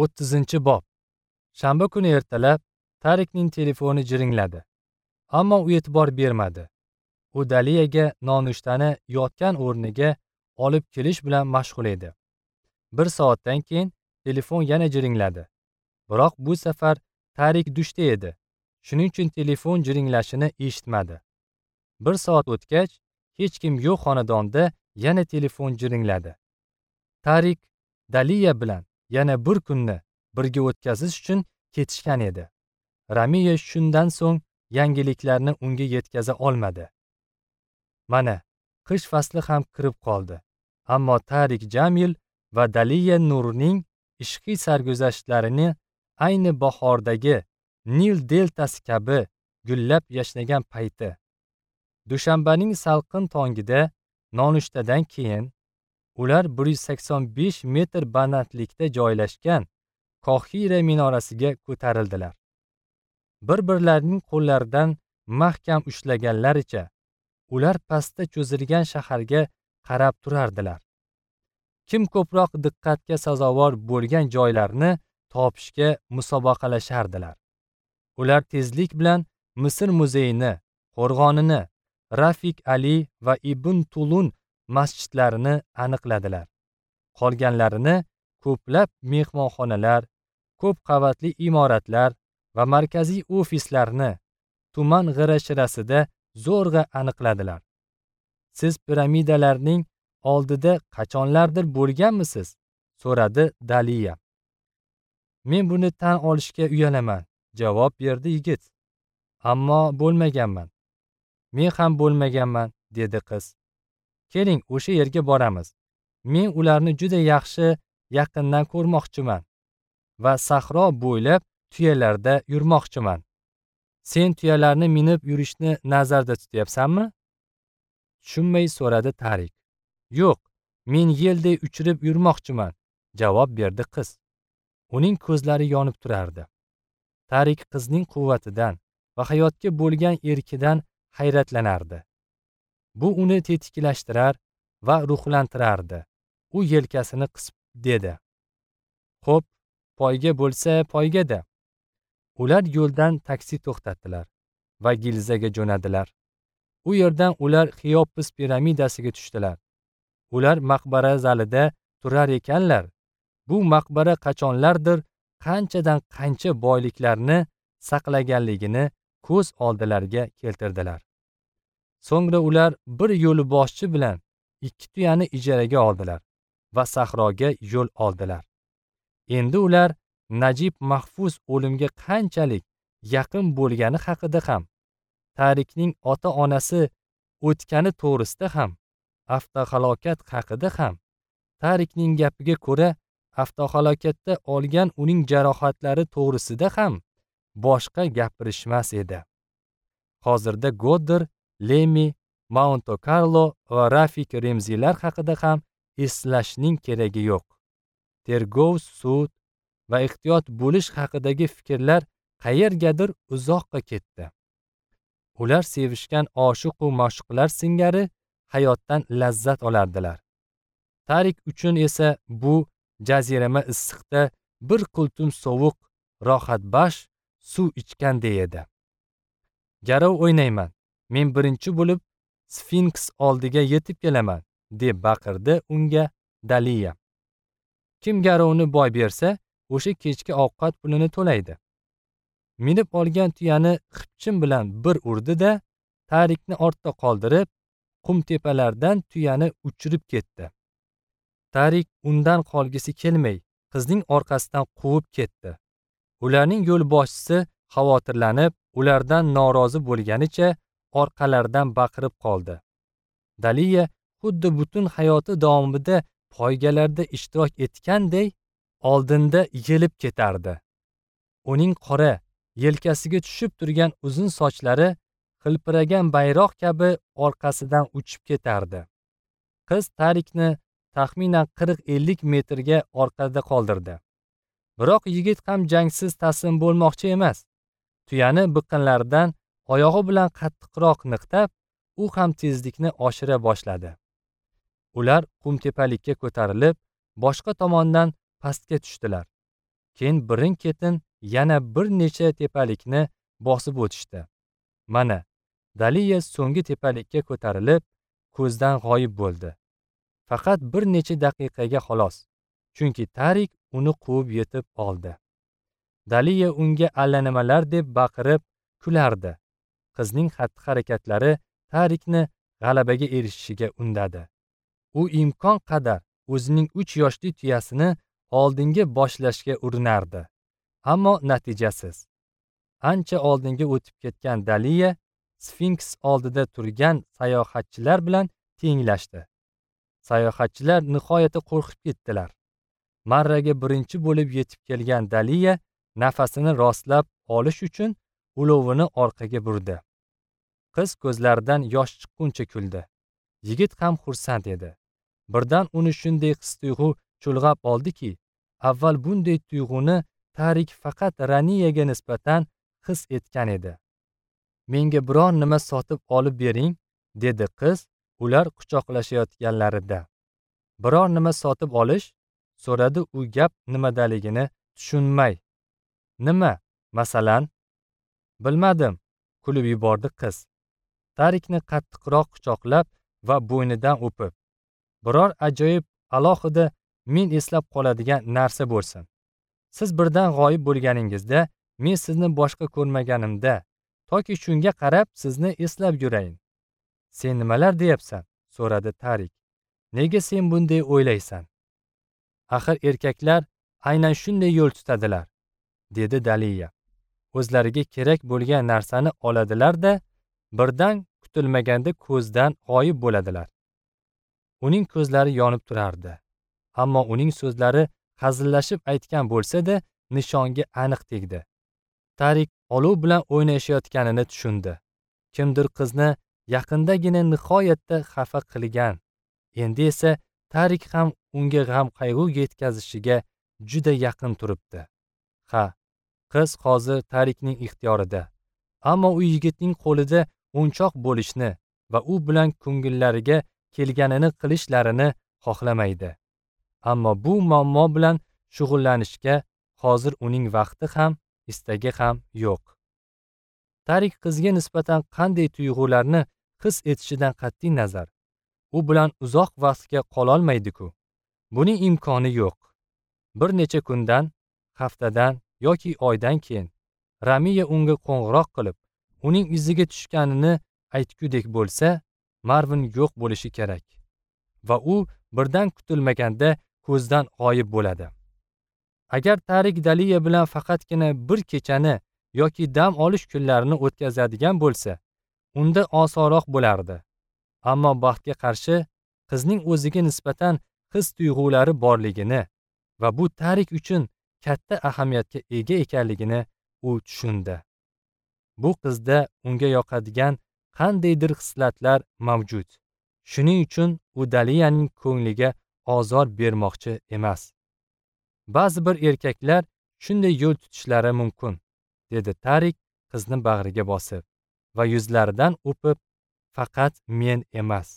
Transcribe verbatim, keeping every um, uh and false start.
o'ttizinchi bob. Shanba kuni ertalab Tarikning telefoni jiringladi. Ammo u e'tibor bermadi. U Daliyaga nonushtani yotgan o'rniga olib kelish bilan mashg'ul edi. Bir soatdan keyin telefon yana jiringladi. Biroq bu safar Tarik dushda edi. Shuning uchun telefon jiringlashini eshitmadi. Bir soat o'tgach, hech kim yo'q xonadonda yana telefon jiringladi. Tarik Daliya bilan yana bir kunni birga o'tkazish uchun ketishgan edi. Ramiya shundan so'ng yangiliklarni unga yetkaza olmadi. Mana, qish fasli ham kirib qoldi. Ammo Tarik Jamil va Daliya Nurning ishqiy sarguzashtlarini ayni bahordagi Nil deltasi kabi gullab yashnagan payti. Dushanbaning salqin tongida nonushtadan keyin ular bir yuz sakson besh metr balandlikda joylashgan Qohira minorasiga ko'tarildilar. Bir-birlarining qo'llaridan mahkam ushlaganlaricha ular pastda cho'zilgan shaharga qarab turardilar. Kim ko'proq diqqatga sazovor bo'lgan joylarni topishga musobaqalashardilar. Ular tezlik bilan Misr muzeyini, qo'rg'onini, Rafik Ali va Ibn Tulun masjidlarini aniqladilar. Qolganlarini ko'plab mehmonxonalar, ko'p qavatli imoratlar va markaziy ofislarni tuman g'ira-shirasida zo'rg'a aniqladilar. Siz piramidalarning oldida qachonlardir bo'lganmisiz? So'radi Daliya. Men buni tan olishga uyalaman, javob berdi yigit. Ammo bo'lmaganman. Men ham bo'lmaganman, dedi qiz. Keling, o'sha yerga boramiz. Men ularni juda yaxshi yaqindan ko'rmoqchiman va sahro bo'ylab tuyalarda yurmoqchiman. Sen tuyalarni minib yurishni nazarda tutyapsanmi? Tushunmay so'radi Tarik. Yo'q, men yelday uchirib yurmoqchiman, javob berdi qiz. Uning ko'zlari yonib turardi. Tarik qizning quvvatidan va hayotga bo'lgan erkidan hayratlanardi. Bu uni tetiklashtirar va ruhlantirardi. U yelkasini qisib dedi: "Xo'p, poyga bo'lsa poygada." Ular yo'ldan taksi to'xtatdilar va Gilzaga jo'nadilar. U yerdan ular Xeopis piramidasiga tushdilar. Ular maqbara zalida turar ekanlar. Bu maqbara qachonlardir qanchadan qancha boyliklarni saqlaganligini ko'z oldilariga keltirdilar. So'ngra ular bir yo'lboshchi bilan ikki tuyani ijaraga oldilar va sahroga yo'l oldilar. Endi ular Najib Mahfuz o'limga qanchalik yaqin bo'lgani haqida ham, Tarikning ota-onasi o'tgani to'g'risida ham, avtohalokat haqida ham, Tarikning gapiga ko'ra avtohalokatda olgan uning jarohatlari to'g'risida ham boshqa gapirishmas edi. Hozirda Godder, Lemi, Monte Carlo va Rafik Remzilar haqida ham eslashning keragi yo'q. Tergov, sud va ehtiyot bo'lish haqidagi fikrlar qayergadir uzoqqa ketdi. Ular sevishgan oshiq va ma'shuqlar singari hayotdan lazzat olardilar. Tarik uchun esa bu jazirama issiqda bir qultum sovuq, rohatbaxsh suv ichganday edi. Garov o'ynayman. Men birinchi bo'lib Sfinks oldiga yetib kelaman, deb baqirdi unga Daliya. Kim garovni boy bersa, o'sha kechki ovqat pulini to'laydi. Minib olgan tuyani xipchin bilan bir urdi-da, Tarikni ortda qoldirib, qumtepalardan tuyani uchirib ketdi. Tarik undan qolgisi kelmay, qizning orqasidan quvib ketdi. Ularning yo'lboshchisi xavotirlanib, ulardan norozi bo'lganicha orqalaridan baqirib qoldi. Daliya xuddi butun hayoti davomida poygalarda ishtirok etganday oldinda yelib ketardi. Uning qora, yelkasiga tushib turgan uzun sochlari xilpiragan bayroq kabi orqasidan uchib ketardi. Qiz Tarikni taxminan qirq ellik metrga orqada qoldirdi. Biroq yigit ham jangsiz taslim bo'lmoqchi emas. Tuyani biqinlaridan oyog'i bilan qattiqroq niqtab, u ham tezlikni oshira boshladi. Ular qumtepalikka ko'tarilib, boshqa tomondan pastga tushdilar. Keyin birin-ketin yana bir necha tepalikni bosib o'tishdi. Mana, Daliya so'nggi tepalikka ko'tarilib, ko'zdan g'oyib bo'ldi. Faqat bir necha daqiqaga xolos, chunki Tarik uni quvib yetib oldi. Daliya unga allanimalar deb baqirib kulardi. Qizning xatti-harakatlari Tarikni g'alabaga erishishiga undadi. U imkon qadar o'zining uch yoshli tuyasini oldinga boshlashga urinardi, ammo natijasiz. Ancha oldinga o'tib ketgan Daliya Sfinks oldida turgan sayohatchilar bilan tenglashdi. Sayohatchilar nihoyatda qo'rqib ketdilar. Marraga birinchi bo'lib yetib kelgan Daliya nafasini rostlab olish uchun ulovini orqaga burdi. Qiz ko'zlaridan yosh chiqquncha kuldi. Yigit ham xursand edi. Birdan uni shunday his-tuyg'u chulg'ab oldiki, avval bunday tuyg'uni Tarik faqat Raniyaga nisbatan his etgan edi. Menga biror nima sotib olib bering, dedi qiz ular quchoqlashayotganlarida. Biror nima sotib olish? So'radi u gap nimadaligini tushunmay. Nima, masalan? Bilmadim, kulib yubordi qiz. Tarikni qattiqroq quchoqlab va bo'ynidan o'pib, biror ajoyib, alohida men eslab qoladigan narsa bo'lsin. Siz birdan g'oyib bo'lganingizda, men sizni boshqa ko'rmaganimda, toki shunga qarab sizni eslab yurayin. Sen nimalar deyapsan? So'radi Tarik. Nega sen bunday o'ylaysan? Axir erkaklar aynan shunday yo'l tutadilar, dedi Daliya. O'zlariga kerak bo'lgan narsani oladilar-da, birdan kutilmaganda ko'zdan g'oyib bo'ladilar. Uning ko'zlari yonib turardi. Ammo uning so'zlari hazillashib aytgan bo'lsa-da, nishonga aniq tegdi. Tarik olov bilan o'ynashayotganini tushundi. Kimdir qizni yaqindagina nihoyatda xafa qilgan. Endi esa Tarik ham unga g'am-qayg'u yetkazishiga juda yaqin turibdi. Ha, qiz hozir Tarikning ixtiyorida. Ammo u yigitning qo'lida o'nchoq bo'lishni va u bilan ko'ngillariga kelganini qilishlarini xohlamaydi. Ammo bu muammo bilan shug'ullanishga hozir uning vaqti ham, istagi ham yo'q. Tarik qizga nisbatan qanday tuyg'ularni his etishidan qat'iy nazar, u bilan uzoq vaqtga qololmaydi-ku. Buning imkoni yo'q. Bir necha kundan, haftadan yoki oydan keyin Ramiya unga qo'ng'iroq qilib, uning iziga tushganini aytgudek bo'lsa, Marvin yo'q bo'lishi kerak va u birdan kutilmaganda ko'zdan g'oyib bo'ladi. Agar Tarik Daliya bilan faqatgina bir kechani yoki dam olish kunlarini o'tkazadigan bo'lsa, unda osonroq bo'lardi. Ammo baxtga qarshi qizning o'ziga nisbatan his-tuyg'ulari borligini va bu Tarik uchun katta ahamiyatga ega ekanligini u tushundi. Bu qizda unga yoqadigan qandaydir xislatlar mavjud. Shuning uchun u Daliyaning ko'ngliga ozor bermoqchi emas. Ba'zi bir erkaklar shunday yo'l tutishlari mumkin, dedi Tarik qizni bag'riga bosib va yuzlaridan o'pib, faqat men emas.